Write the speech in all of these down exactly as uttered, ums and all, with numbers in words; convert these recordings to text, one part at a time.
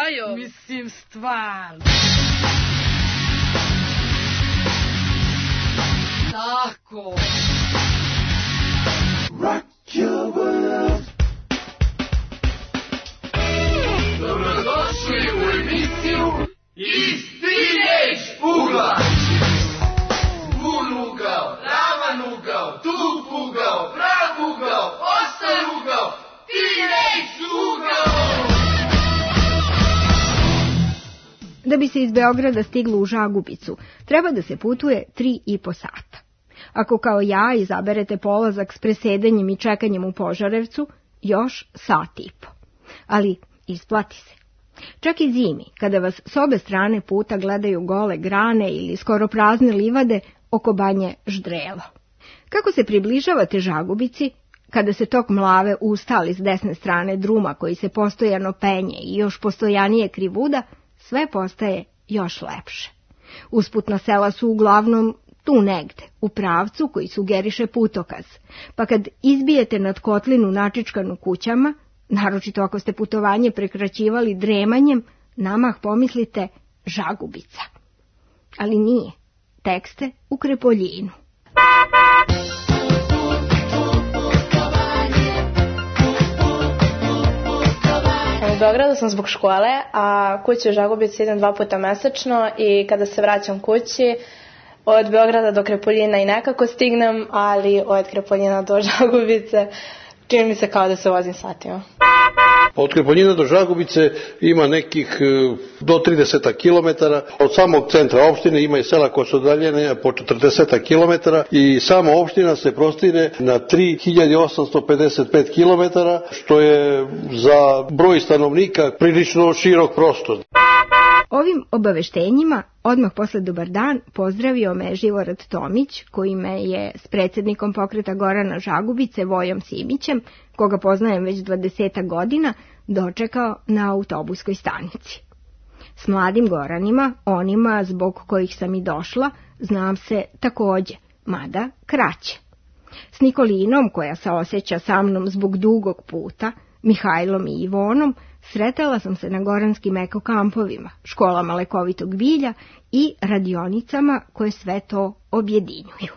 Jajo? Mislim, stvarno. Tako. Rock your world. Dobrodošli u emisiju Iz Teenage ugla. Bun ugao, ravan ugao, tup ugao, prav ugao, ostar ugao, Teenage ugao. Da bi se iz Beograda stiglo u Žagubicu, treba da se putuje tri i po sata. Ako kao ja izaberete polazak s presedanjem i čekanjem u Požarevcu, još sat i po. Ali isplati se. Čak i zimi, kada vas s obe strane puta gledaju gole grane ili skoro prazne livade, oko banje ždrelo. Kako se približavate Žagubici, kada se tok Mlave ustali s desne strane druma koji se postojano penje i još postojanije krivuda, sve postaje još lepše. Usputna sela su uglavnom tu negde, u pravcu koji sugeriše putokaz, pa kad izbijete nad kotlinu načičkanu kućama, naročito ako ste putovanje prekraćivali dremanjem, namah pomislite Žagubica. Ali nije, tek ste u Krepoljinu. U Beogradu sam zbog škole, a kući u Žagubici idem dva puta mesečno i kada se vraćam kući, od Beograda do Krepoljina i nekako stignem, ali od Krepoljina do Žagubice čini mi se kao da se vozim satima. Od Krepoljina do Žagubice ima nekih do trideset kilometara. Od samog centra opštine ima i sela koje su udaljene po četrdeset kilometara i sama opština se prostire na tri hiljade osamsto pedeset pet kilometara, što je za broj stanovnika prilično širok prostor. Ovim obaveštenjima odmah posle dobar dan pozdravio me Živorad Tomić, koji me je s predsjednikom pokreta Gorana Žagubice, Vojom Simićem, koga poznajem već dvadesetak godina, dočekao na autobuskoj stanici. S mladim Goranima, onima zbog kojih sam i došla, znam se takođe, mada kraće. S Nikolinom, koja se osjeća sa mnom zbog dugog puta, Mihajlom i Ivonom, sretala sam se na goranskim ekokampovima, školama lekovitog bilja i radionicama koje sve to objedinjuju.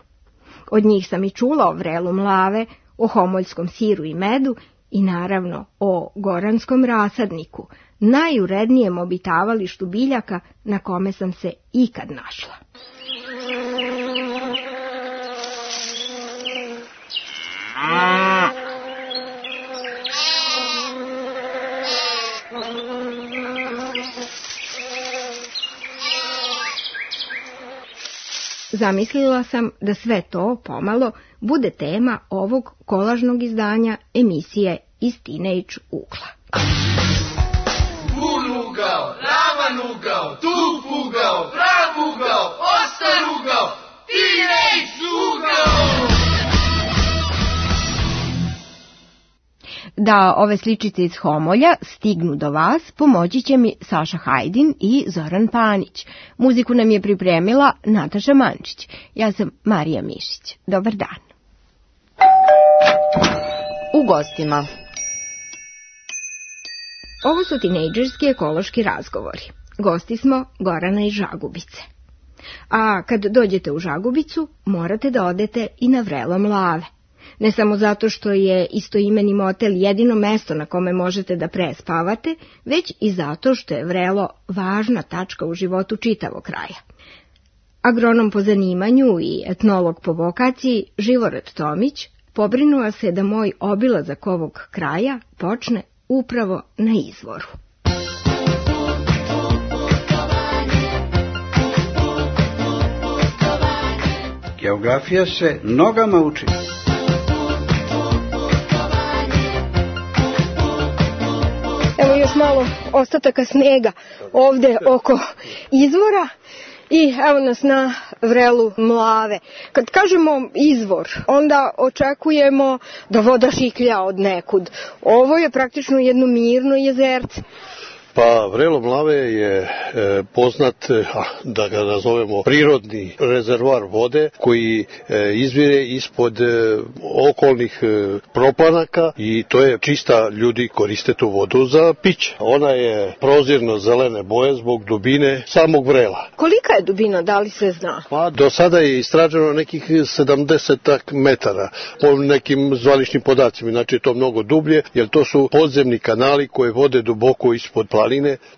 Od njih sam i čula o vrelu Mlave, o homoljskom siru i medu i naravno o goranskom rasadniku, najurednijem obitavalištu biljaka na kome sam se ikad našla. Zamislila sam da sve to pomalo bude tema ovog kolažnog izdanja emisije Iz Teenage ugla. Bun ugao, ravan ugao, tup ugao, prav ugao, ostar ugao, Teenage ugao. Da ove sličice iz Homolja stignu do vas, pomoći će mi Saša Hajdin i Zoran Panić. Muziku nam je pripremila Nataša Mančić. Ja sam Marija Mišić. Dobar dan. U gostima. Ovo su tinejdžerski ekološki razgovori. Gosti smo Gorana iz Žagubice. A kad dođete u Žagubicu, morate da odete i na vrelo Mlave. Ne samo zato što je istoimeni motel jedino mesto na kome možete da prespavate, već i zato što je vrelo važna tačka u životu čitavog kraja. Agronom po zanimanju i etnolog po vokaciji Živorad Tomić pobrinuo se da moj obilazak ovog kraja počne upravo na izvoru. Geografija se nogama uči. Evo još malo ostataka snega ovde oko izvora i evo nas na vrelu Mlave. Kad kažemo izvor, onda očekujemo da voda šiklja od nekud. Ovo je praktično jedno mirno jezerce. Pa vrelo mlave je e, poznat, a, da ga nazovemo prirodni rezervoar vode koji e, izvire ispod e, okolnih e, proplanaka i to je čista, ljudi koriste tu vodu za piće. Ona je prozirno zelene boje zbog dubine samog vrela. Kolika je dubina, da li se zna? Pa do sada je istraženo nekih sedamdeset metara po nekim zvaničnim podacima, znači to mnogo dublje, jer to su podzemni kanali koje vode duboko ispod planine,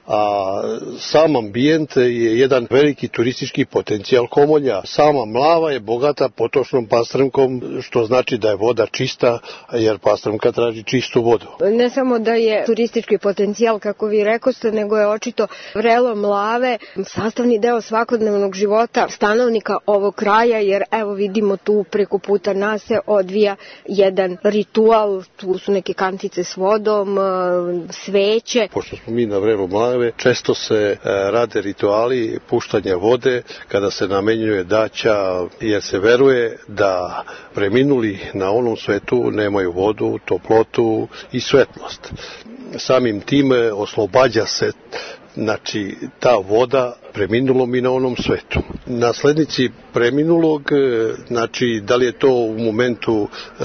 a sam ambijent je jedan veliki turistički potencijal Homolja. Sama Mlava je bogata potočnom pastrmkom, što znači da je voda čista, jer pastrmka traži čistu vodu. Ne samo da je turistički potencijal, kako vi rekoste, nego je očito vrelo Mlave sastavni deo svakodnevnog života stanovnika ovog kraja, jer evo vidimo tu preko puta nas se odvija jedan ritual, tu su neke kantice s vodom, sveće. Pošto smo mi na vrelu Mlave, često se e, rade rituali puštanja vode kada se namenjuje daća, jer se veruje da preminuli na onom svetu nemaju vodu, toplotu i svetlost. Samim tim oslobađa se, znači, ta voda preminulom i na onom svetu. Naslednici preminulog, znači, da li je to u momentu e,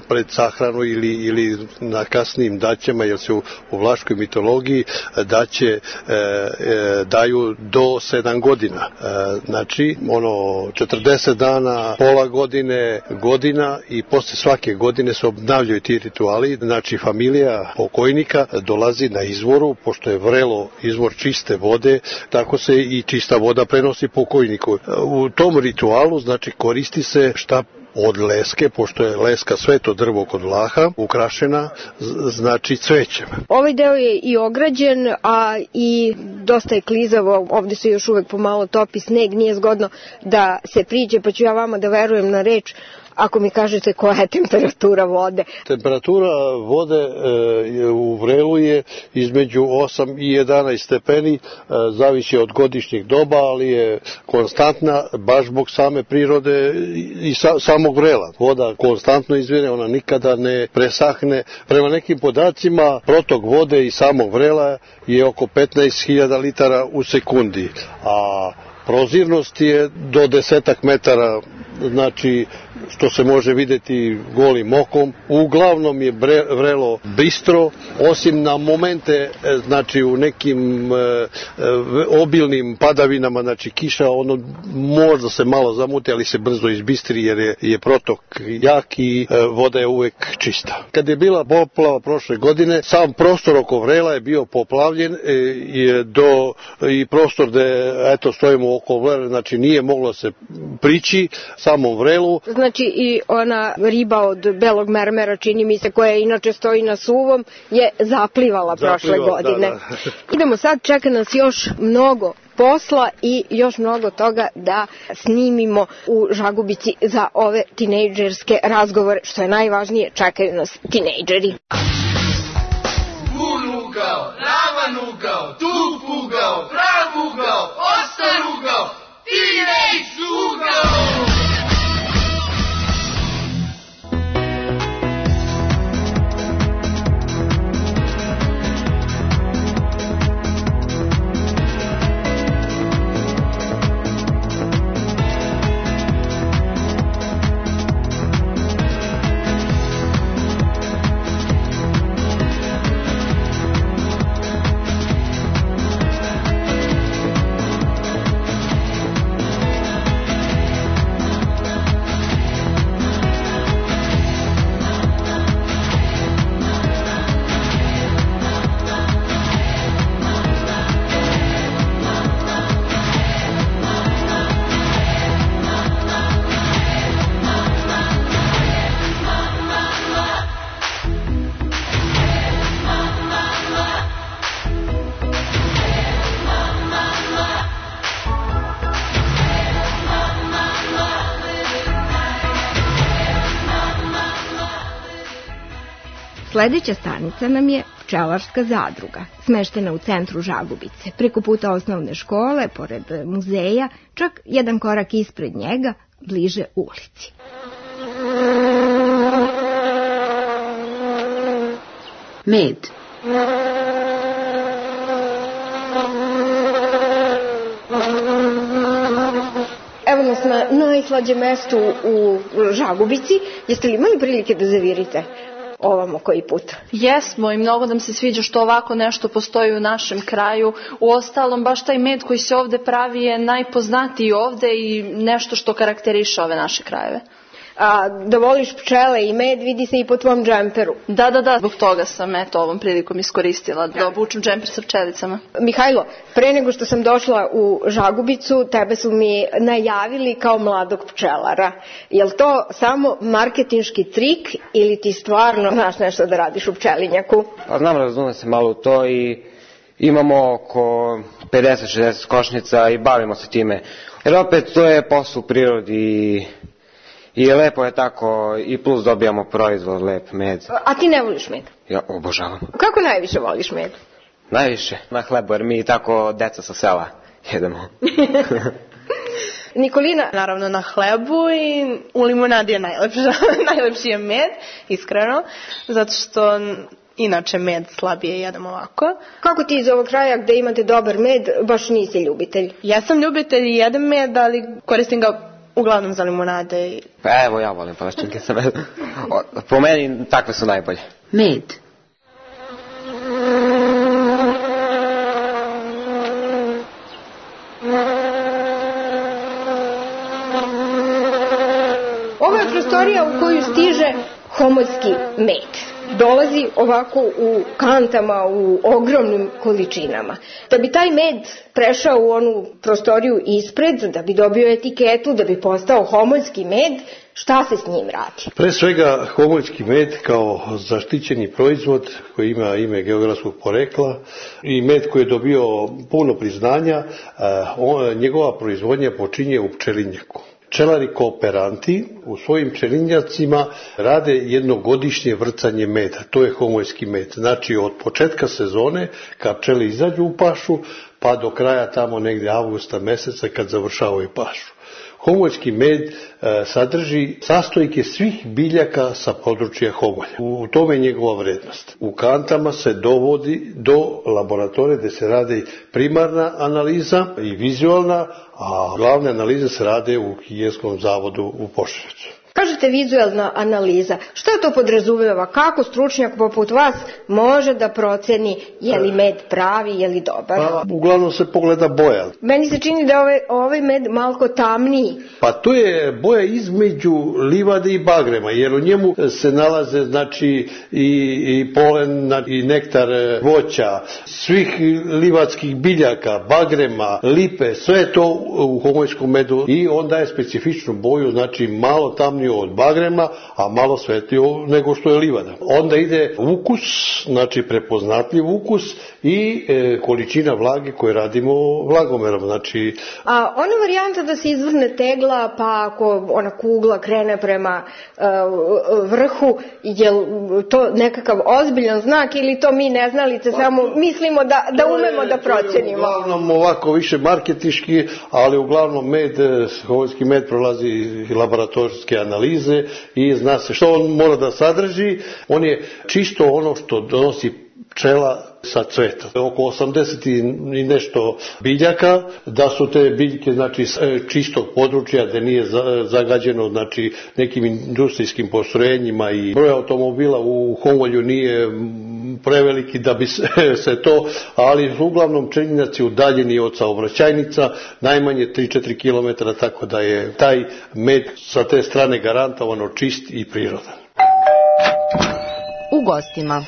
pred sahranu ili, ili na kasnijim daćama, jer se u, u vlaškoj mitologiji daće e, e, daju do sedam godina. E, znači, ono, četrdeset dana, pola godine, godina i posle svake godine se obnavljaju ti rituali. Znači, familija pokojnika dolazi na izvoru, pošto je vrelo izvor čiste vode, tako se i čista voda prenosi pokojniku. U tom ritualu, znači, koristi se štap od leske, pošto je leska sveto drvo kod Vlaha, ukrašena, znači, cvećem. Ovaj deo je i ograđen, a i dosta je klizavo, ovde se još uvek pomalo topi sneg, nije zgodno da se priđe, pa ću ja vama da verujem na reč ako mi kažete koja je temperatura vode. Temperatura vode e, u vrelu je između osam i jedanaest stepeni, e, zavisi od godišnjeg doba, ali je konstantna baš zbog same prirode i sa, samog vrela. Voda konstantno izvire, ona nikada ne presahne. Prema nekim podacima, protok vode i samog vrela je oko petnaest hiljada litara u sekundi, a prozirnost je do desetak metara, znači, što se može videti golim okom. Uglavnom je bre, vrelo bistro, osim na momente, znači, u nekim e, obilnim padavinama, znači kiša, ono možda se malo zamuti, ali se brzo izbistri, jer je, je protok jak i e, voda je uvek čista. Kad je bila poplava prošle godine, sam prostor oko vrela je bio poplavljen e, je do, i prostor gde, eto, stojimo oko vrela, znači nije moglo se prići samom vrelu. Znači i ona riba od belog mermera, čini mi se, koja inače stoji na suvom, je zaplivala prošle Zaplivala, godine. Da, da. Idemo sad, čeka nas još mnogo posla i još mnogo toga da snimimo u Žagubici za ove tinejdžerske razgovore. Što je najvažnije, čekaju nas tinejdžeri. Bun ugao, ravan ugao, tup ugao, prav ugao, ostar ugao, tinejdž ugao! Sledeća stanica nam je Pčelarska zadruga, smeštena u centru Žagubice, preko puta osnovne škole, pored muzeja, čak jedan korak ispred njega, bliže ulici. Med. na najslađem mestu u Žagubici. Jeste li imali prilike da zavirite ovamo koji put? Jesmo i mnogo nam se sviđa što ovako nešto postoji u našem kraju. U ostalom, baš taj med koji se ovde pravi je najpoznatiji ovde i nešto što karakteriše ove naše krajeve. A da voliš pčele i med vidi se i po tvom džemperu. Da, da, da, zbog toga sam eto ovom prilikom iskoristila da obučem džemper sa pčelicama. Mihajlo, pre nego što sam došla u Žagubicu, tebe su mi najavili kao mladog pčelara. Je li to samo marketinški trik ili ti stvarno znaš nešto da radiš u pčelinjaku? Pa znam, razumem se malo u to i imamo oko pedeset šezdeset košnica i bavimo se time. Jer opet to je posao u prirodi i lepo je tako i plus dobijamo proizvod, lep med. A ti ne voliš med? Ja obožavam. Kako najviše voliš med? Najviše na hlebu, jer mi tako deca sa sela jedemo. Nikolina? Naravno na hlebu i u limunadi je najlepši, najlepši je med, iskreno, zato što inače med slabije jedem ovako. Kako ti iz ovog kraja gde imate dobar med, baš nisi ljubitelj? Ja sam ljubitelj i jedem med, ali koristim ga uglavnom za limunade. Pa evo, ja volim palačinke sa medom. Po meni takve su najbolje. Med. Ovo je prostorija u koju stiže homoljski med. Dolazi ovako u kantama, u ogromnim količinama. Da bi taj med prešao u onu prostoriju ispred, da bi dobio etiketu, da bi postao homoljski med, šta se s njim radi? Pre svega, homoljski med kao zaštićeni proizvod koji ima ime geografskog porekla i med koji je dobio puno priznanja, njegova proizvodnja počinje u pčelinjaku. Pčelari kooperanti u svojim pčelinjacima rade jednogodišnje vrcanje meda, to je homoljski med. Znači od početka sezone kad pčele izađu u pašu pa do kraja tamo negdje avgusta meseca kad završavaju pašu. Homoljski med e, sadrži sastojke svih biljaka sa područja Homolja. U tome je njegova vrednost. U kantama se dovodi do laboratorije gdje se radi primarna analiza i vizualna, a glavne analize se rade u Higijenskom zavodu u Požarevcu. Kažete vizualna analiza. Šta to podrazumeva? Kako stručnjak poput vas može da proceni je li med pravi, je li dobar? Pa, uglavnom se pogleda boja. Meni se čini da je ovaj, ovaj med malko tamniji. Pa to je boja između livade i bagrema, jer u njemu se nalaze znači i, i polen i nektar voća, svih livadskih biljaka, bagrema, lipe, sve je to u homoljskom medu i on daje specifičnu boju, znači malo tamniju od bagrema, a malo svetliju nego što je livada. Onda ide ukus, znači prepoznatljiv ukus i e, količina vlage koje radimo vlagomerom. Znači... A ona varijanta da se izvrne tegla, pa ako ona kugla krene prema e, vrhu, je to nekakav ozbiljan znak ili to mi neznalice pa, samo mislimo da, da umemo je, da procenimo? Uglavnom ovako više marketinški, ali uglavnom med, homoljski med prolazi i laboratorijske analize i zna se što on mora da sadrži. On je čisto ono što donosi pčela sa cveta. Oko osamdeset i nešto biljaka, da su te biljke znači čistog područja gde nije zagađeno znači nekim industrijskim postrojenjima i broj automobila u Homolju nije preveliki da bi se, se to, ali uglavnom pčelinjaci udaljeni od saobraćajnica, najmanje tri do četiri kilometra, tako da je taj med sa te strane garantovano čist i prirodan. U gostima.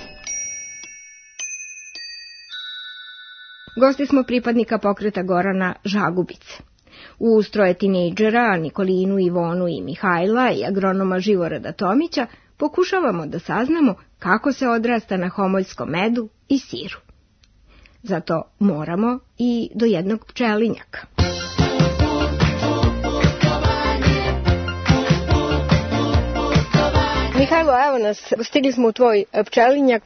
Gosti smo pripadnika pokreta Gorana Žagubice. Uz troje tinejdžera, Nikolinu, Ivonu i Mihajla i agronoma Živorada Tomića, pokušavamo da saznamo kako se odrasta na homoljskom medu i siru. Zato moramo i do jednog pčelinjaka. Mihajlo, evo nas, stigli smo u tvoj pčelinjak.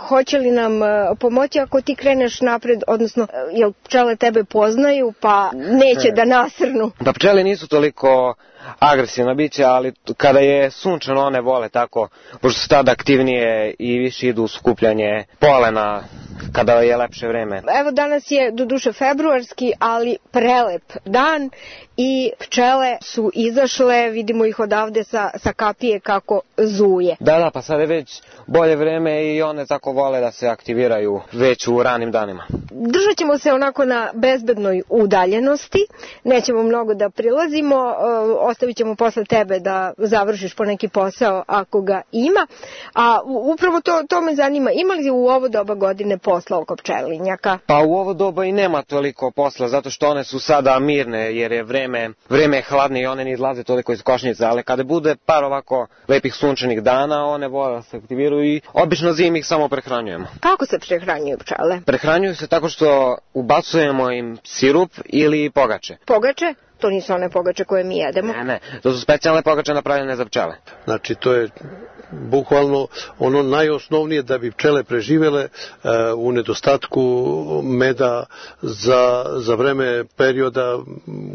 Hoće li nam pomoći ako ti kreneš napred, odnosno, jel pčele tebe poznaju pa neće da nasrnu? Da, pčele nisu toliko agresivna bića, ali kada je sunčano one vole tako, pošto su tada aktivnije i više idu u skupljanje polena kada je lepše vreme. Evo danas je doduše februarski, ali prelep dan i pčele su izašle, vidimo ih odavde sa, sa kapije kako zuje. Da, da, pa sad je već bolje vreme i one tako vole da se aktiviraju već u ranim danima. Držat ćemo se onako na bezbednoj udaljenosti, nećemo mnogo da prilazimo, ostavit ćemo posle tebe da završiš po neki posao ako ga ima, a upravo to, to me zanima, ima li u ovo doba godine posla oko pčelinjaka? Pa u ovo doba i nema toliko posla, zato što one su sada mirne, jer je vreme, vreme je hladne i one ne izlaze toliko iz košnica, ali kada bude par ovako lepih sunčanih dana, one vole da se aktiviraju i obično zimi ih samo prehranjujemo. Kako se prehranjuju pčele? Prehranjuju se tako što ubacujemo im sirup ili pogače. Pogače? To nisu one pogače koje mi jedemo. Ne, ne, to su specijalne pogače napravljene za pčele. Znači, to je bukvalno ono najosnovnije da bi pčele preživele uh, u nedostatku meda za, za vreme perioda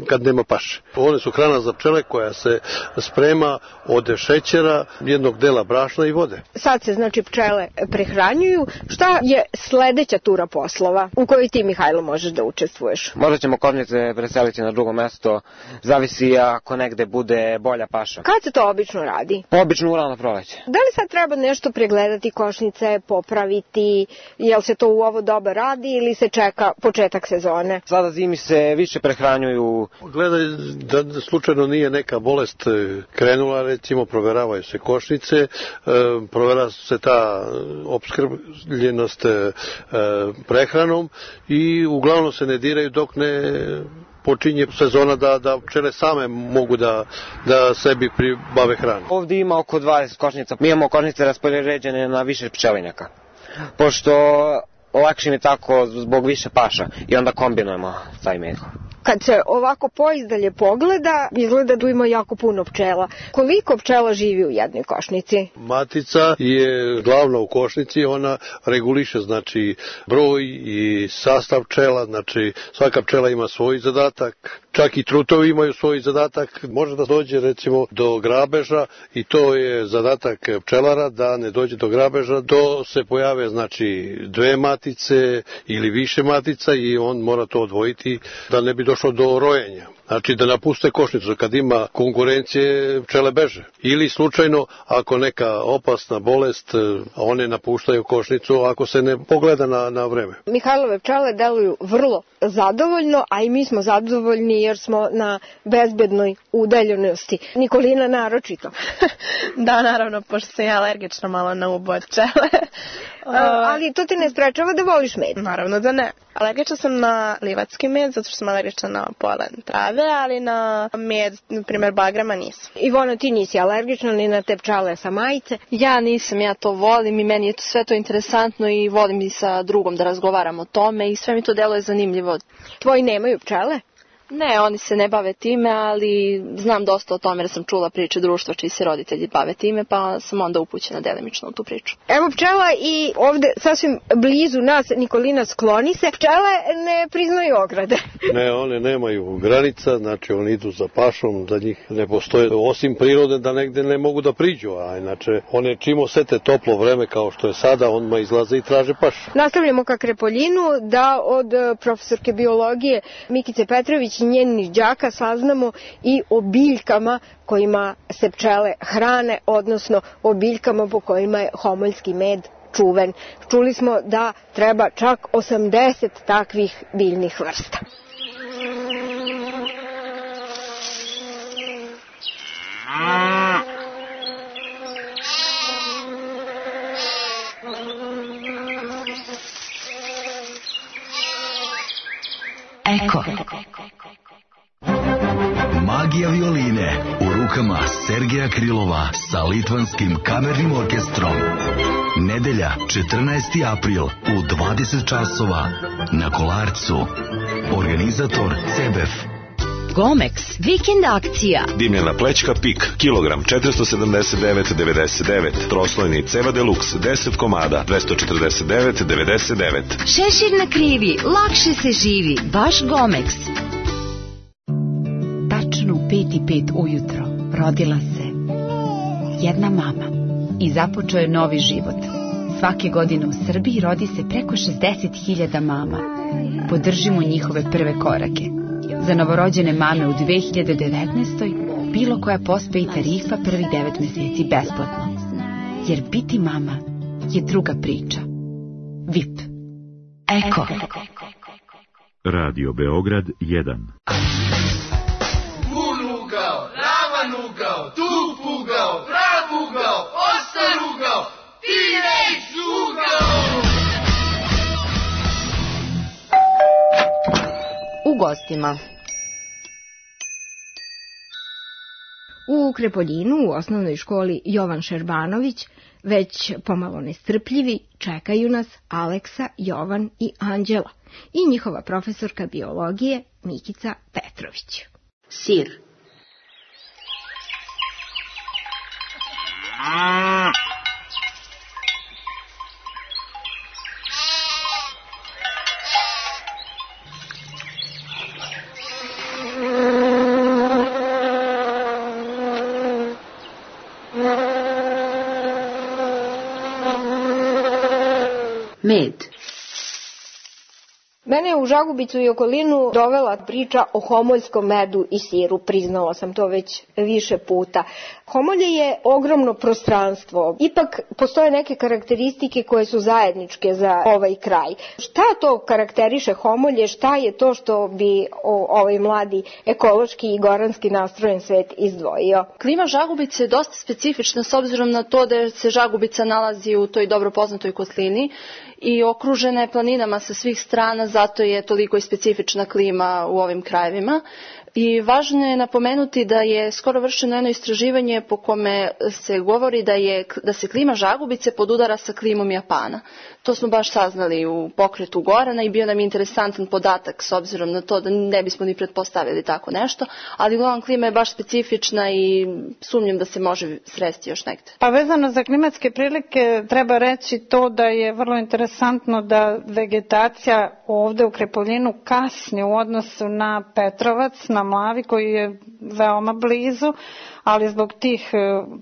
kad nema paše. One su hrana za pčele koja se sprema od šećera, jednog dela brašna i vode. Sad se znači pčele prehranjuju. Šta je sledeća tura poslova u kojoj ti, Mihajlo, možeš da učestvuješ? Možda ćemo košnice preseliti na drugo mesto, zavisi ako negde bude bolja paša. Kad se to obično radi? Obično u rano proleće. Da li sad treba nešto pregledati košnice, popraviti, jel se to u ovo doba radi ili se čeka početak sezone? Sada zimi se više prehranjuju. Gledaj da slučajno nije neka bolest krenula, recimo proveravaju se košnice, provera se ta opskrbljenost prehranom i uglavnom se ne diraju dok ne počinje sezona da, da pčele same mogu da, da sebi pribave hranu. Ovdje ima oko dvadeset košnica. Mi imamo košnice raspoređene na više pčelinjaka. Pošto lakše mi tako zbog više paša i onda kombinujemo taj med. Kad se ovako poizdalje pogleda, izgleda da ima jako puno pčela. Koliko pčela živi u jednoj košnici? Matica je glavna u košnici, ona reguliše znači broj i sastav pčela, znači svaka pčela ima svoj zadatak, čak i trutovi imaju svoj zadatak. Može da dođe recimo do grabeža i to je zadatak pčelara da ne dođe do grabeža, do se pojave znači dve matice ili više matica i on mora to odvojiti da ne bi došlo do rojenja. Znači da napuste košnicu kad ima konkurencije, pčele beže. Ili slučajno ako neka opasna bolest, one napuštaju košnicu ako se ne pogleda na, na vreme. Mihajlove pčele deluju vrlo zadovoljno, a i mi smo zadovoljni jer smo na bezbednoj udaljenosti. Nikolina naročito. Da, naravno, pošto sam ja alergična malo na ubo od pčele. Ali to te ne sprečava da voliš med? Naravno da ne. Alergična sam na livatski med, zato što sam alergična na polen trave, ali na med, na primjer, bagrema nisam. Ivona, ti nisi alergična ni na te pčele sa majice? Ja nisam, ja to volim i meni je to sve to interesantno i volim i sa drugom da razgovaram o tome i sve mi to deluje zanimljivo. Tvoji nemaju pčele? Ne, oni se ne bave time, ali znam dosta o tome jer sam čula priče društva čiji se roditelji bave time, pa sam onda upućena delimično u tu priču. Evo pčela i ovde sasvim blizu nas, Nikolina, skloni se. Pčele ne priznaju ograde. Ne, one nemaju granica, znači oni idu za pašom, za njih ne postoje, osim prirode da negde ne mogu da priđu, a inače one čim osete toplo vreme kao što je sada, onma izlaze i traže pašu. Nastavljamo ka Krepoljinu da od profesorke biologije Mikice Petrović i njenih đaka saznamo i o biljkama kojima se pčele hrane, odnosno o biljkama po kojima je homoljski med čuven. Čuli smo da treba čak osamdeset takvih biljnih vrsta. Eko. Magija violine u rukama Sergeja Krilova sa Litvanskim kamernim orkestrom. Nedelja, četrnaesti april u dvadeset časova na Kolarcu. Organizator C B F. Gomex, vikend akcija. Dimljena plećka Pik, kilogram četiristo sedamdeset devet zarez devedeset devet. Troslojni Ceva Deluxe, deset komada, dvesta četrdeset devet zarez devedeset devet. Šešir na krivi, lakše se živi, baš Gomex. Tačno u pet i pet ujutro rodila se jedna mama i započeo je novi život Svake godine u Srbiji rodi se preko šezdeset hiljada mama. Podržimo njihove prve korake. Za novorođene mame u dve hiljade devetnaestoj bilo koja pospe i tarifa prvih devet meseci besplatno. Jer biti mama je druga priča. V I P. Eko. Radio Beograd jedan. Pun ugao, ravan ugao, tup ugao, prav ugao, ostar ugao, T-Rex ugao! U gostima. U Krepoljinu, u osnovnoj školi Jovan Šerbanović, već pomalo nestrpljivi, čekaju nas Aleksa, Jovan i Anđela i njihova profesorka biologije Mikica Petrović. Sir. Med. Mene je u Žagubicu i okolinu dovela priča o homoljskom medu i siru, priznala sam to već više puta. Homolje je ogromno prostranstvo, ipak postoje neke karakteristike koje su zajedničke za ovaj kraj. Šta to karakteriše Homolje, šta je to što bi ovaj mladi ekološki i goranski nastrojen svet izdvojio? Klima Žagubice je dosta specifična s obzirom na to da se Žagubica nalazi u toj dobro poznatoj kotlini i okružena je planinama sa svih strana, zato je toliko i specifična klima u ovim krajevima. I važno je napomenuti da je skoro vršeno jedno istraživanje po kome se govori da, je, da se klima Žagubice podudara sa klimom Japana. To smo baš saznali u pokretu Gorana i bio nam interesantan podatak s obzirom na to da ne bismo ni pretpostavili tako nešto, ali uglavnom klima je baš specifična i sumnjam da se može sresti još negde. Pa vezano za klimatske prilike treba reći to da je vrlo interesantno da vegetacija ovde u Krepoljinu kasni u odnosu na Petrovac, na Mlavi koji je veoma blizu, ali zbog tih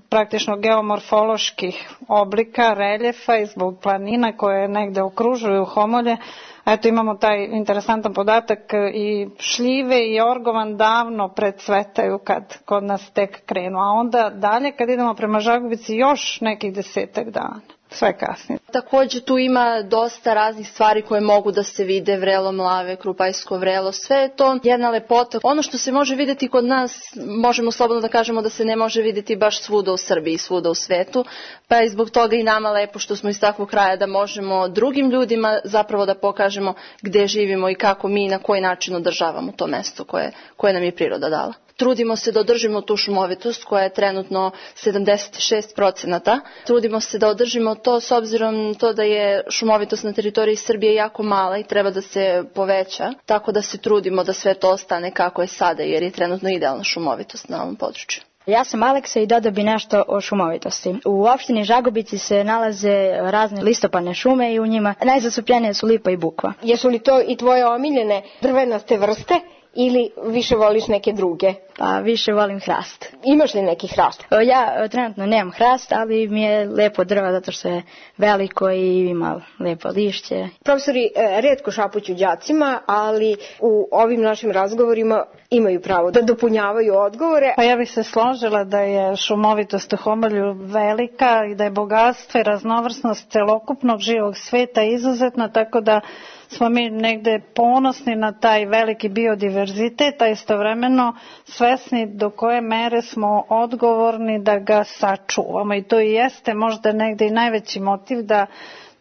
praktično geomorfoloških oblika, reljefa i zbog planina koje negde okružuju Homolje, eto imamo taj interesantan podatak i šljive i orgovan davno predsvetaju kad kod nas tek krenu, a onda dalje kad idemo prema Žagubici još nekih desetak dana. Sve kasnije. Također tu ima dosta raznih stvari koje mogu da se vide, vrelo Mlave, Krupajsko vrelo, sve je to jedna lepota. Ono što se može vidjeti kod nas, možemo slobodno da kažemo da se ne može vidjeti baš svuda u Srbiji, svuda u svetu, pa je zbog toga i nama lepo što smo iz takvog kraja da možemo drugim ljudima zapravo da pokažemo gde živimo i kako mi na koji način održavamo to mesto koje, koje nam je priroda dala. Trudimo se da održimo tu šumovitost koja je trenutno sedamdeset šest procenata. Trudimo se da održimo to s obzirom to da je šumovitost na teritoriji Srbije jako mala i treba da se poveća. Tako da se trudimo da sve to ostane kako je sada jer je trenutno idealna šumovitost na ovom području. Ja sam Aleksa i dodao bi nešto o šumovitosti. U opštini Žagubici se nalaze razne listopadne šume i u njima najzastupljenije su lipa i bukva. Jesu li to i tvoje omiljene drvenaste vrste? Ili više voliš neke druge? Pa više volim hrast. Imaš li neki hrast? Ja trenutno nemam hrast, ali mi je lepo drva zato što je veliko i ima lepo lišće. Profesori retko šapuću đacima, ali u ovim našim razgovorima imaju pravo da dopunjavaju odgovore. Pa ja bih se složila da je šumovitost u Homolju velika i da je bogatstvo i raznovrsnost celokupnog živog sveta izuzetna, tako da smo mi negde ponosni na taj veliki biodiverzitet, a istovremeno svesni do koje mere smo odgovorni da ga sačuvamo. I to i jeste možda negde i najveći motiv da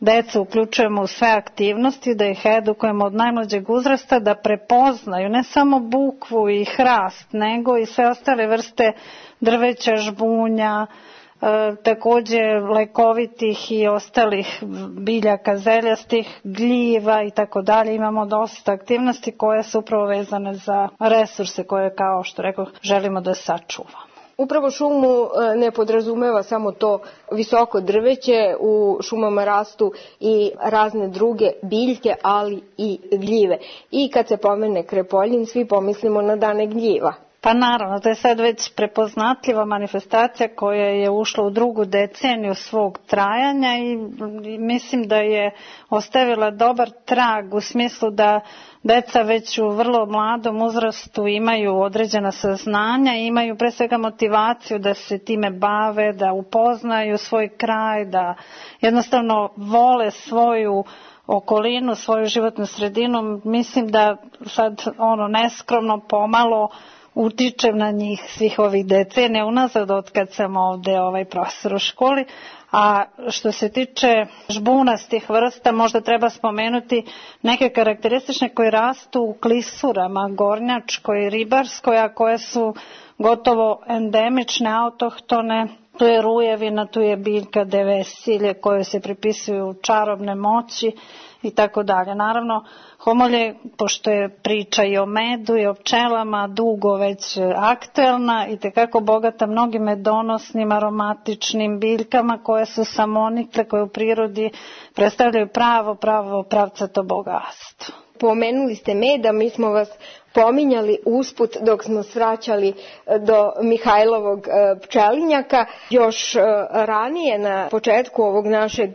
decu uključujemo u sve aktivnosti, da ih edukujemo od najmlađeg uzrasta, da prepoznaju ne samo bukvu i hrast, nego i sve ostale vrste drveća, žbunja, E, također lekovitih i ostalih biljaka zeljastih, gljiva i tako dalje. Imamo dosta aktivnosti koje su upravo vezane za resurse koje, kao što rekao, želimo da sačuvamo. Upravo šumu ne podrazumeva samo to visoko drveće, u šumama rastu i razne druge biljke, ali i gljive. I kad se pomene Krepoljin, svi pomislimo na dane gljiva. Pa naravno, to je sad već prepoznatljiva manifestacija koja je ušla u drugu deceniju svog trajanja i mislim da je ostavila dobar trag u smislu da deca već u vrlo mladom uzrastu imaju određena saznanja i imaju pre svega motivaciju da se time bave, da upoznaju svoj kraj, da jednostavno vole svoju okolinu, svoju životnu sredinu. Mislim da sad ono neskromno pomalo utičem na njih svih ovih decenija unazad od kad sam ovde ovaj profesor u školi. A što se tiče žbunastih vrsta, možda treba spomenuti neke karakteristične koje rastu u klisurama, gornjačkoj, ribarskoj, a koje su gotovo endemične, autohtone. Tu je rujevina, tu je biljka devesilje koje se pripisuju čarobne moći i tako dalje. Naravno, homolje, pošto je priča i o medu i o pčelama dugo već aktuelna i tekako bogata mnogim medonosnim, aromatičnim biljkama koje su samonikle, koje u prirodi predstavljaju pravo, pravo pravcato bogatstvo. Pomenuli ste meda, mi smo vas pominjali usput dok smo svraćali do Mihajlovog pčelinjaka. Još ranije na početku ovog našeg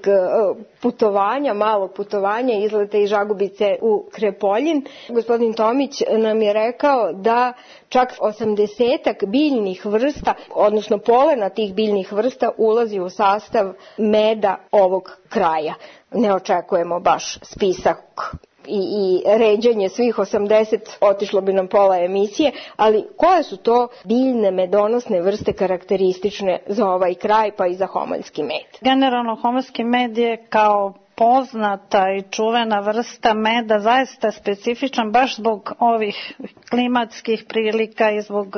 putovanja, malog putovanja, izleta iz Žagubice u Krepoljin, gospodin Tomić nam je rekao da čak osamdesetak biljnih vrsta, odnosno polena tih biljnih vrsta ulazi u sastav meda ovog kraja. Ne očekujemo baš spisak i, i ređenje svih osamdeset, otišlo bi nam pola emisije, ali koje su to biljne medonosne vrste karakteristične za ovaj kraj pa i za homoljski med? Generalno homoljski med je kao poznata i čuvena vrsta meda zaista specifičan baš zbog ovih klimatskih prilika i zbog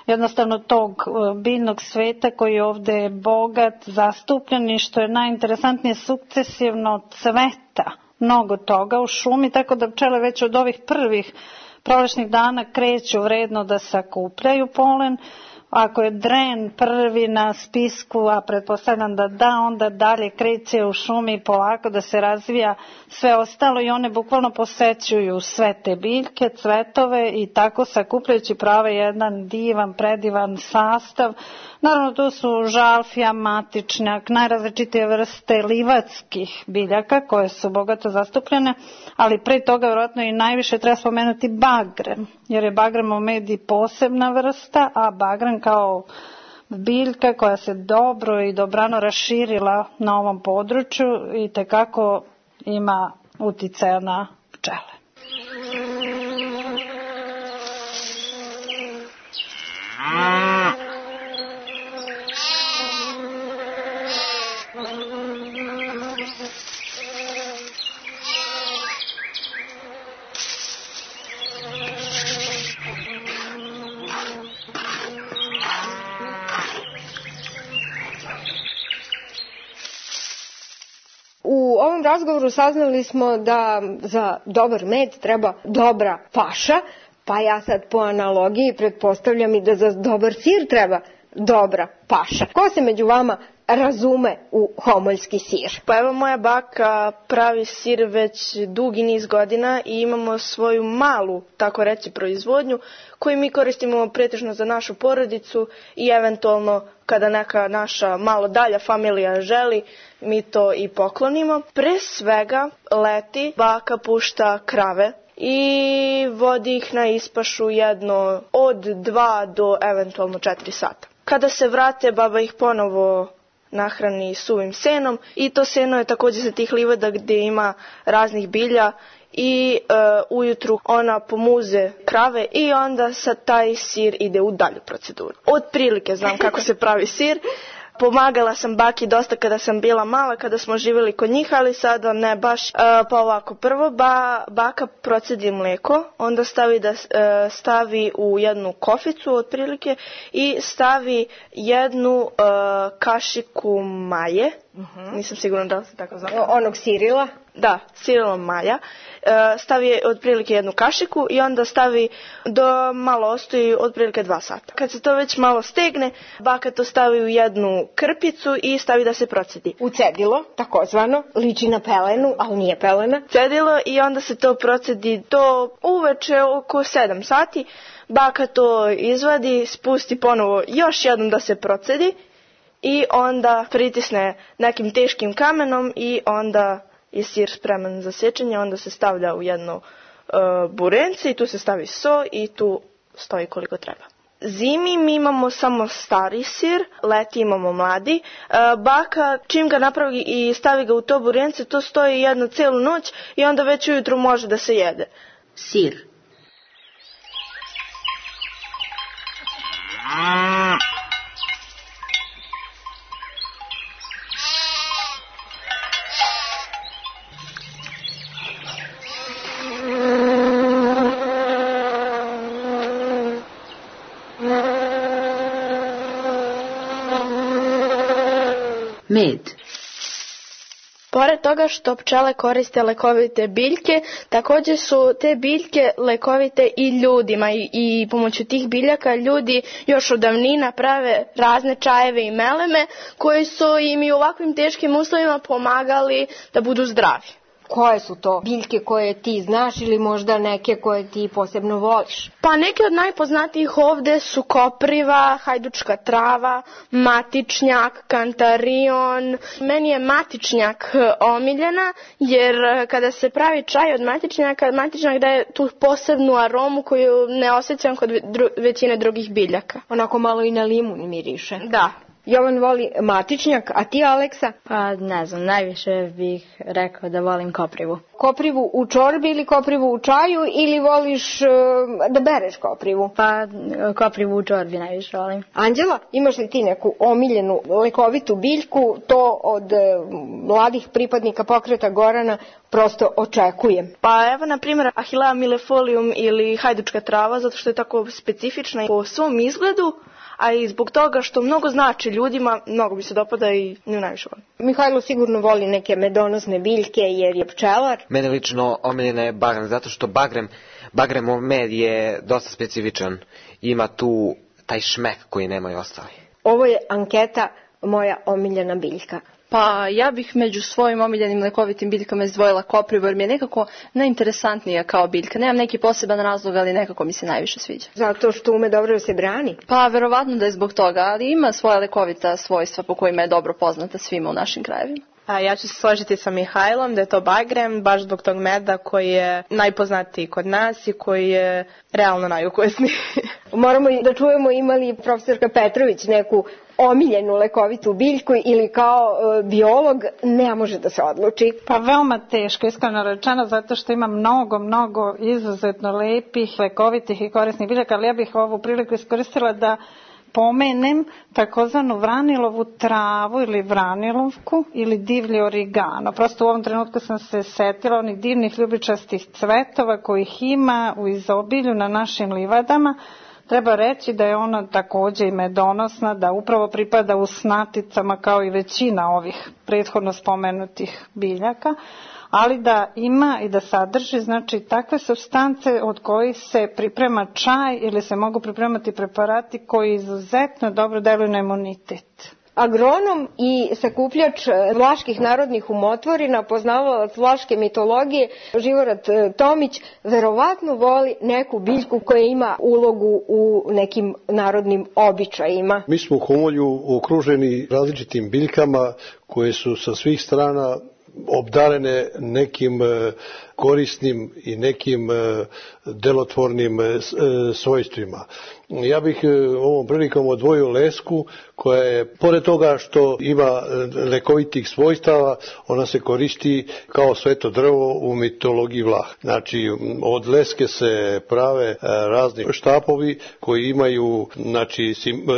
jednostavno tog biljnog sveta koji je ovde bogat, zastupljen i što je najinteresantnije sukcesivno cveta mnogo toga u šumi, tako da pčele već od ovih prvih prolećnih dana kreću vredno da sakupljaju polen. Ako je dren prvi na spisku, a pretpostavljam da da, onda dalje kreće u šumi polako da se razvija sve ostalo i one bukvalno posećuju sve te biljke, cvetove i tako sakupljajući prave jedan divan, predivan sastav. Naravno tu su žalfija, matičnjak, najrazličitije vrste livatskih biljaka koje su bogato zastupljene, ali pre toga vjerojatno i najviše treba spomenuti bagrem, jer je bagremov med i posebna vrsta, a bagrem kao biljka koja se dobro i dobrano raširila na ovom području i tekako ima uticaja na pčele. U ovom razgovoru saznali smo da za dobar med treba dobra paša, pa ja sad po analogiji pretpostavljam i da za dobar sir treba dobra paša. Ko se među vama razume u homoljski sir? Pa evo, moja baka pravi sir već dugi niz godina i imamo svoju malu, tako reći, proizvodnju koju mi koristimo pretežno za našu porodicu i eventualno kada neka naša malo dalja familija želi, mi to i poklonimo. Pre svega leti baka pušta krave i vodi ih na ispašu jedno od dva do eventualno četiri sata. Kada se vrate, baba ih ponovo nahrani suvim senom i to seno je također sa tih livada gdje ima raznih bilja i e, ujutru ona pomuze krave i onda sa taj sir ide u dalju proceduru. Od prilike znam kako se pravi sir. Pomagala sam baki dosta kada sam bila mala, kada smo živjeli kod njih, ali sada ne baš. E, pa ovako, prvo ba, baka procedi mlijeko, onda stavi, da, e, stavi u jednu koficu otprilike i stavi jednu e, kašiku maje. Uh-huh. Nisam sigurna da li se tako zove. Onog sirila? Da, sirilom malja. Stavi otprilike jednu kašiku i onda stavi do malo ostoji otprilike dva sata. Kad se to već malo stegne, baka to stavi u jednu krpicu i stavi da se procedi. U cedilo, takozvano, liči na pelenu, ali nije pelena. Cedilo i onda se to procedi do uveče oko sedam sati. Baka to izvadi, spusti ponovo još jednom da se procedi i onda pritisne nekim teškim kamenom i onda je sir spreman za sečenje, onda se stavlja u jedno uh, burence i tu se stavi so i tu stoji koliko treba. Zimi mi imamo samo stari sir, leti imamo mladi. Uh, baka čim ga napravi i stavi ga u to burence, to stoji jednu celu noć i onda već ujutru može da se jede. Sir. Med. Pored toga što pčele koriste lekovite biljke, također su te biljke lekovite i ljudima i, i pomoću tih biljaka ljudi još od davnina prave razne čajeve i meleme koji su im i u ovakvim teškim uslovima pomagali da budu zdravi. Koje su to biljke koje ti znaš ili možda neke koje ti posebno voliš? Pa neke od najpoznatijih ovde su kopriva, hajdučka trava, matičnjak, kantarion. Meni je matičnjak omiljena jer kada se pravi čaj od matičnjaka, matičnjak daje tu posebnu aromu koju ne osjećam kod dru- većine drugih biljaka. Onako malo i na limun miriše. Da. Jovan voli matičnjak, a ti, Aleksa? Pa ne znam, najviše bih rekao da volim koprivu. Koprivu u čorbi ili koprivu u čaju ili voliš uh, da bereš koprivu? Pa koprivu u čorbi najviše volim. Anđela, imaš li ti neku omiljenu lekovitu biljku? To od uh, mladih pripadnika pokreta Gorana prosto očekujem. Pa evo, na primjer, Achillea millefolium ili hajdučka trava, zato što je tako specifična po svom izgledu, a i zbog toga što mnogo znači ljudima, mnogo mi se dopada i nju najviše volim. Mihajlo sigurno voli neke medonosne biljke jer je pčelar. Mene lično omiljena je bagrem, zato što bagrem, bagremov med je dosta specifičan. Ima tu taj šmek koji nemaju ostali. Ovo je anketa moja omiljena biljka. Pa ja bih među svojim omiljenim lekovitim biljkama izdvojila koprivu jer mi je nekako najinteresantnija kao biljka. Nemam neki poseban razlog, ali nekako mi se najviše sviđa. Zato što ume dobro da se brani? Pa verovatno da je zbog toga, ali ima svoja lekovita svojstva po kojima je dobro poznata svima u našim krajevima. A ja ću se složiti sa Mihajlom da je to bagrem, baš zbog tog meda koji je najpoznatiji kod nas i koji je realno najukusniji. Moramo da čujemo ima li profesorka Petrović neku omiljenu lekovitu biljku ili kao e, biolog ne može da se odluči? Pa veoma teško, iskreno rečeno, zato što ima mnogo, mnogo izuzetno lepih, lekovitih i korisnih biljaka, ali ja bih ovu priliku iskoristila da pomenem takozvanu vranilovu travu ili vranilovku ili divlji origano. Prosto u ovom trenutku sam se setila onih divnih ljubičastih cvetova kojih ima u izobilju na našim livadama. Treba reći da je ona također i medonosna, da upravo pripada u snaticama kao i većina ovih prethodno spomenutih biljaka, ali da ima i da sadrži znači takve supstance od kojih se priprema čaj ili se mogu pripremati preparati koji izuzetno dobro deluju na imunitet. Agronom i sakupljač vlaških narodnih umotvorina, poznavalac vlaške mitologije, Živorad Tomić, verovatno voli neku biljku koja ima ulogu u nekim narodnim običajima. Mi smo u Homolju okruženi različitim biljkama koje su sa svih strana obdarene nekim korisnim i nekim delotvornim svojstvima. Ja bih ovom prilikom odvojio lesku koja je, pored toga što ima lekovitih svojstava, ona se koristi kao sveto drvo u mitologiji Vlaha. Znači, od leske se prave razni štapovi koji imaju znači,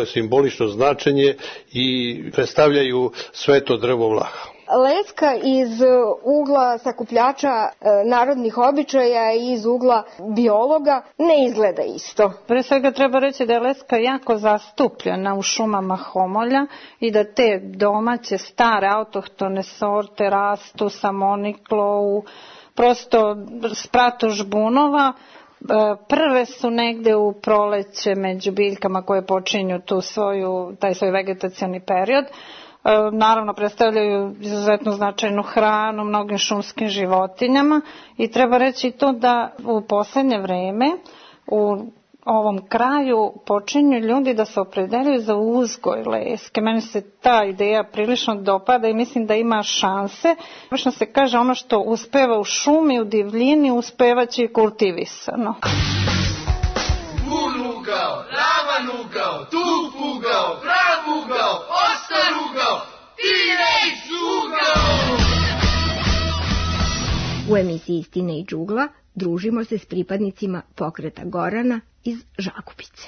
simbolično značenje i predstavljaju sveto drvo Vlaha. Leska iz ugla sakupljača narodnih običaja i iz ugla biologa ne izgleda isto. Pre svega treba reći da je leska jako zastupljena u šumama homolja i da te domaće stare autohtone sorte rastu samoniklo u prosto spratu žbunova. Prve su negde u proleće među biljkama koje počinju tu svoju, taj svoj vegetacioni period. Naravno predstavljaju izuzetno značajnu hranu mnogim šumskim životinjama i treba reći to da u poslednje vreme u ovom kraju počinju ljudi da se opredeljuju za uzgoj leske. Meni se ta ideja prilično dopada i mislim da ima šanse. Obično se kaže ono što uspeva u šumi, u divljini, uspevaće i kultivisano. Bun ugao, ravan ugao, tup ugao, prav ugao, ostar ugao, Teenage ugao! U emisiji Istine i džugla družimo se s pripadnicima pokreta Gorana iz Žagubice.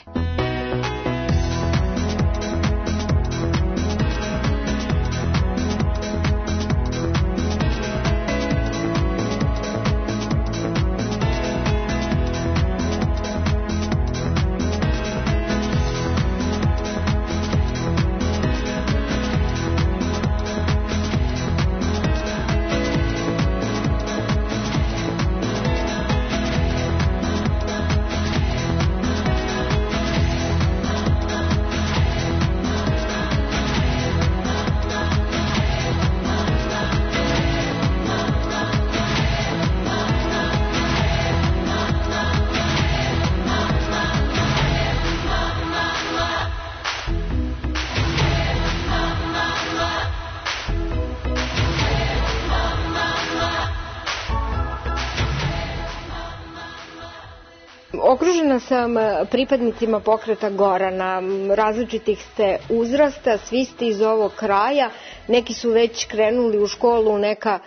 Okružena sam pripadnicima pokreta Gorana, različitih ste uzrasta, svi ste iz ovog kraja, neki su već krenuli u školu u neka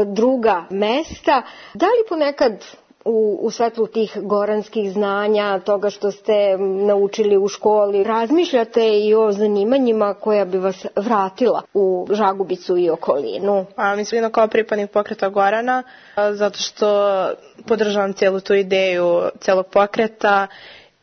druga mesta. Da li ponekad u, u svetlu tih goranskih znanja, toga što ste naučili u školi, razmišljate i o zanimanjima koja bi vas vratila u Žagubicu i okolinu? A, mislim kao pripadnik pokreta Gorana, zato što podržavam cijelu tu ideju celog pokreta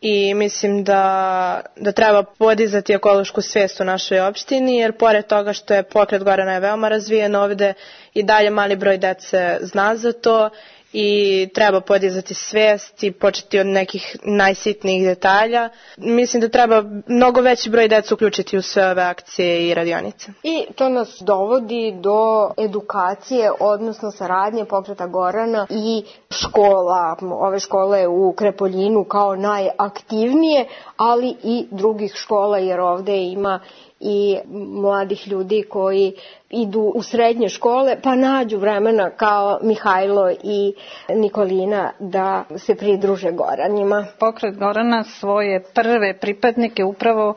i mislim da, da treba podizati ekološku svijest u našoj opštini, jer pored toga što je pokret Gorana je veoma razvijen ovde i dalje mali broj dece zna za to i treba podizati svijest i početi od nekih najsitnijih detalja. Mislim da treba mnogo veći broj dece uključiti u sve ove akcije i radionice. I to nas dovodi do edukacije, odnosno saradnje pokreta Gorana i škola. Ove škole u Krepoljinu kao najaktivnije, ali i drugih škola, jer ovde ima i mladih ljudi koji idu u srednje škole pa nađu vremena kao Mihajlo i Nikolina da se pridruže Goranima. Pokret Gorana svoje prve pripadnike upravo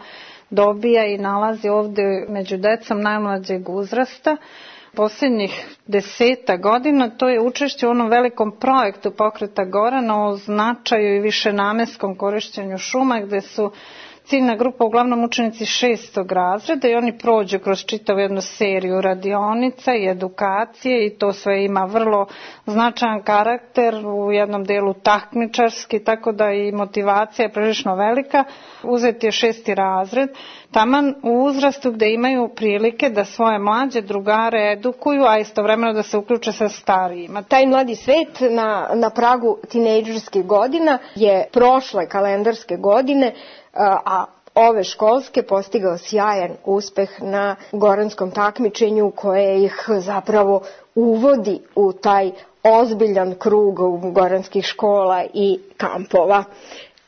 dobija i nalazi ovde među decom najmlađeg uzrasta. Posljednjih deseta godina to je učešće u onom velikom projektu pokreta Gorana o značaju i višenamenskom korišćenju šuma, gde su ciljna grupa uglavnom učenici šestog razreda i oni prođu kroz čitavu jednu seriju radionica i edukacije i to sve ima vrlo značajan karakter, u jednom delu takmičarski, tako da i motivacija je prilično velika. Uzeti je šesti razred, taman u uzrastu gde imaju prilike da svoje mlađe drugare edukuju, a istovremeno da se uključe sa starijima. Taj mladi svet na, na pragu tinejdžerskih godina je prošle kalendarske godine, a ove školske postigao sjajan uspeh na goranskom takmičenju koje ih zapravo uvodi u taj ozbiljan krug goranskih škola i kampova.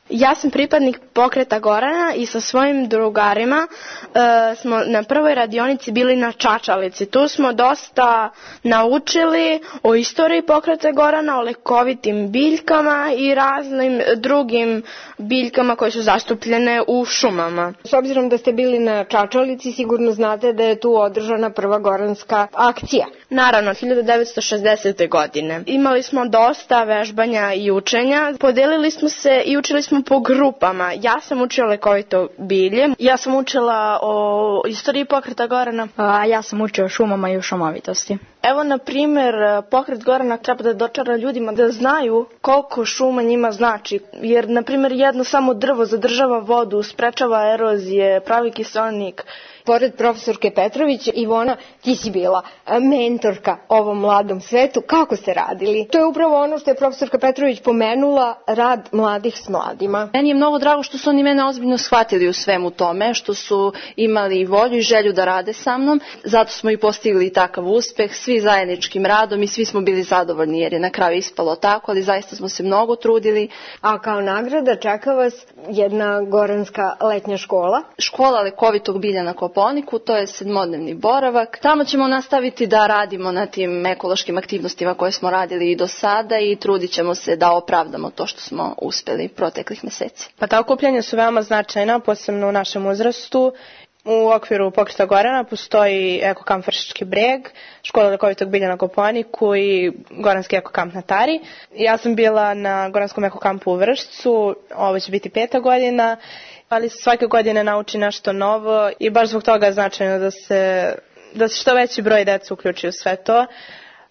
Ja sam pripadnik pokreta Gorana i sa svojim drugarima e, smo na prvoj radionici bili na Čačalici. Tu smo dosta naučili o istoriji pokreta Gorana, o lekovitim biljkama i raznim drugim biljkama koje su zastupljene u šumama. S obzirom da ste bili na Čačalici, sigurno znate da je tu održana prva goranska akcija. Naravno, hiljadu devetsto šezdesete. godine. Imali smo dosta vežbanja i učenja, podelili smo se i učili smo smo po grupama. Ja sam učila lekovito bilje, ja sam učila o istoriji pokreta Gorana. A ja sam učila o šumama i o šumovitosti. Evo, na primjer, pokret Gorana treba da dočara ljudima da znaju koliko šuma njima znači. Jer, na primjer, jedno samo drvo zadržava vodu, sprečava erozije, pravi kiseonik. Pored profesorke Petrović, Ivona, ti si bila mentorka ovom mladom svetu. Kako ste radili? To je upravo ono što je profesorka Petrović pomenula, rad mladih s mladima. Meni je mnogo drago što su oni mene ozbiljno shvatili u svemu tome, što su imali volju i želju da rade sa mnom. Zato smo i postigli takav uspeh, svi zajedničkim radom i svi smo bili zadovoljni jer je na kraju ispalo tako, ali zaista smo se mnogo trudili. A kao nagrada čeka vas jedna goranska letnja škola? Škola lekovitog bilja na Kopaoniku, to je sedmodnevni boravak. Tamo ćemo nastaviti da radimo na tim ekološkim aktivnostima koje smo radili i do sada i trudit ćemo se da opravdamo to što smo uspeli proteklih meseci. Pa ta okupljanja su veoma značajna, posebno u našem uzrastu. U okviru pokreta Gorana postoji ekokamp Vršički breg, škola lekovitog bilja na Kopaoniku i goranski ekokamp na Tari. Ja sam bila na goranskom ekokampu u Vršcu, ovo će biti peta godina, ali svake godine nauči nešto novo i baš zbog toga je značajno da se, da se što veći broj dece uključi u sve to.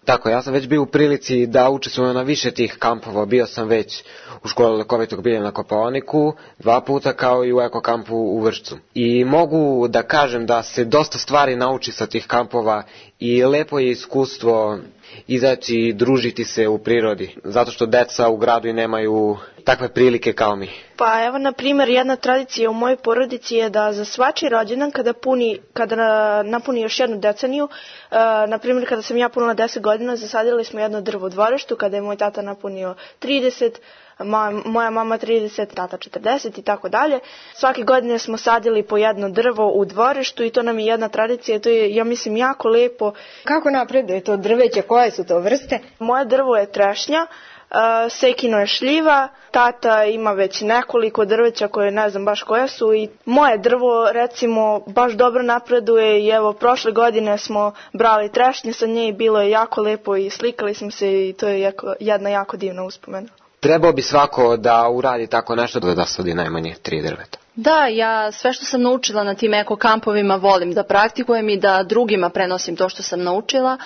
Tako, ja sam već bio u prilici da učestvujem na više tih kampova, bio sam već u školi lekovitog bilja na Kopaoniku dva puta kao i u ekokampu u Vršcu. I mogu da kažem da se dosta stvari nauči sa tih kampova i lepo je iskustvo izaći i družiti se u prirodi, zato što deca u gradu i nemaju takve prilike kao mi. Pa evo, na primjer, jedna tradicija u mojoj porodici je da za svačiji rođendan kada, puni, kada napuni još jednu deceniju, uh, na primjer kada sam ja punila deset godina, zasadili smo jedno drvo u dvorištu, kada je moj tata napunio trideset, moja mama trideset, tata četrdeset i tako dalje. Svake godine smo sadili po jedno drvo u dvorištu i to nam je jedna tradicija, to je, ja mislim, jako lepo. Kako napreduje to drveće, koje su to vrste? Moje drvo je trešnja, uh, Sekino je šljiva, tata ima već nekoliko drveća koje ne znam baš koja su i moje drvo recimo baš dobro napreduje i evo prošle godine smo brali trešnje sa nje i bilo je jako lepo i slikali smo se i to je jako, jedna jako divna uspomena. Trebao bi svako da uradi tako nešto da sadi najmanje tri drveta. Da, ja sve što sam naučila na tim ekokampovima volim da praktikujem i da drugima prenosim to što sam naučila,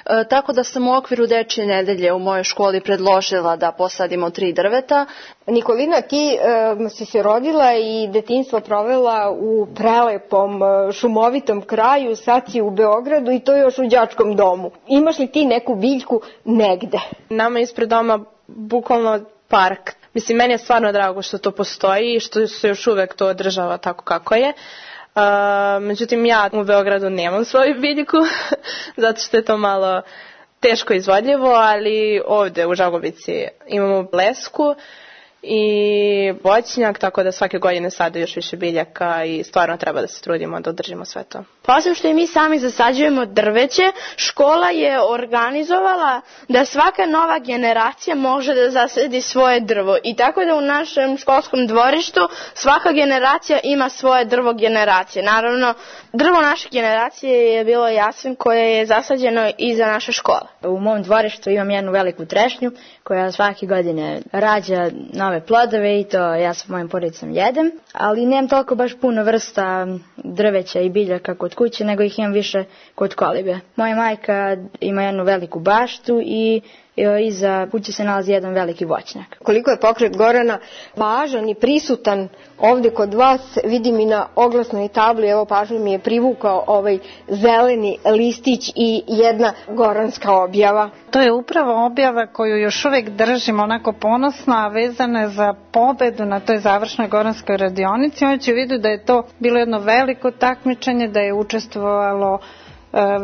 e, tako da sam u okviru dečje nedelje u mojoj školi predložila da posadimo tri drveta. Nikolina, ti e, si se rodila i detinjstvo provela u prelepom e, šumovitom kraju, sad si u Beogradu i to još u đačkom domu. Imaš li ti neku biljku negde? Nama ispred doma bukvalno park. Mislim, meni je stvarno drago što to postoji i što se još uvek to održava tako kako je. Uh, međutim, ja u Beogradu nemam svoju biljku, zato što je to malo teško izvodljivo, ali ovde u Žagubici imamo lesku i voćnjak, tako da svake godine sada još više biljaka i stvarno treba da se trudimo da održimo sve to. Osim što i mi sami zasađujemo drveće, škola je organizovala da svaka nova generacija može da zasadi svoje drvo i tako da u našem školskom dvorištu svaka generacija ima svoje drvo generacije. Naravno, drvo naše generacije je bilo jasen koje je zasađeno iza naše škole. U mom dvorištu imam jednu veliku trešnju koja svake godine rađa nove plodove i to ja sa mojim porodicom jedem, ali nemam toliko baš puno vrsta drveća i biljaka kod kuće, nego ih imam više kod kolibe. Moja majka ima jednu veliku baštu i iza kuće se nalazi jedan veliki voćnjak. Koliko je pokret Gorana važan i prisutan ovde kod vas, vidim i na oglasnoj tabli, evo pažnju mi je privukao ovaj zeleni listić i jedna goranska objava. To je upravo objava koju još uvek držim onako ponosna, a vezana je za pobedu na toj završnoj goranskoj radionici. Imajući u vidu da je to bilo jedno veliko takmičenje, da je učestvovalo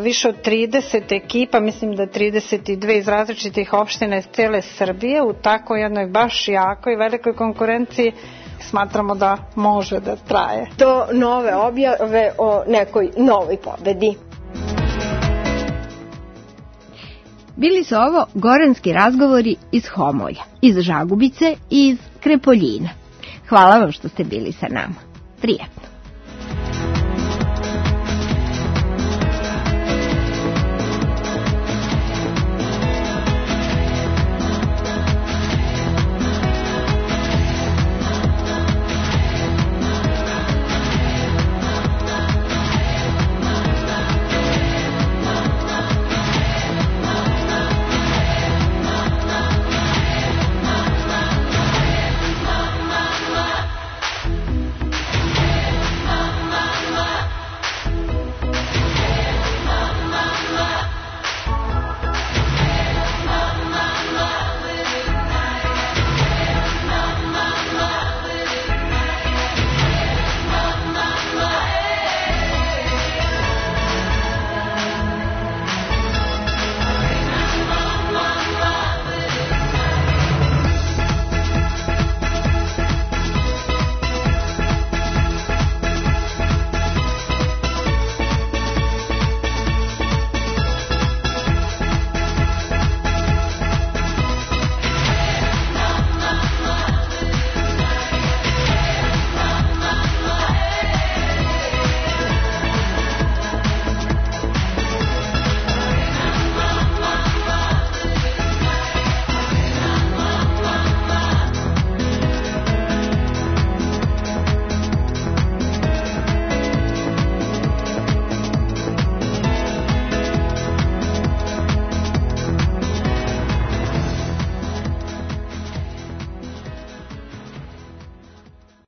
više od trideset ekipa, mislim da trideset dve iz različitih opština iz cele Srbije, u tako jednoj baš jakoj velikoj konkurenciji. Smatramo da može da traje. To nove objave o nekoj novoj pobedi. Bili su ovo goranski razgovori iz Homolja, iz Žagubice i iz Krepoljina. Hvala vam što ste bili sa nama. Prijetno.